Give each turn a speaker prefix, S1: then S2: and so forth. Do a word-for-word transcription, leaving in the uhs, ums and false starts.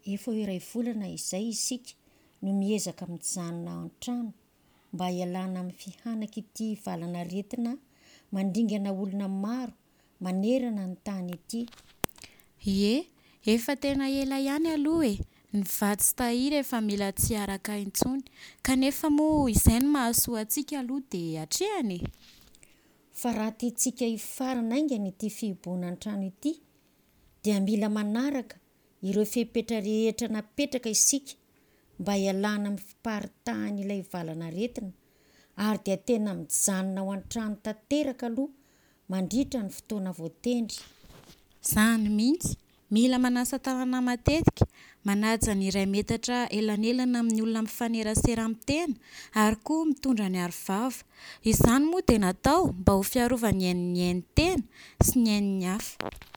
S1: Efa ho iray volana izay isika no miezaka mijanona an-trano mba hialana amin'ny fihanak'ity valanaretina mandringana olona maro manerana ny tany ity.
S2: Ie, efa tena ela ihany aloha e. Ny vatsy tahiry efa mila tsy araka intsony. Kanefa moa izay no mahasoa antsika aloha dia atrehana e.
S1: Fa raha tiantsika hifarana haingana ity fihibohana an-trano ity dia mila manaraka ireo fepetra rehetra napetraka isika mba hialana amin'ny fiparitahan'ilay valanaretina ary dia tena mijanona ao an-trano tanteraka aloha mandritra ny fotoana voatendry.
S2: Izany mihitsy. Mila manasa tanana matetika, manaja ny iray metatra elanelana amin'ny olona mifanerasera amin'ny tena ary koa mitondra ny aro vava. Izany moa dia natao mba ho fiarovana ny ain'ny ain'ny tena sy ny ain'ny hafa.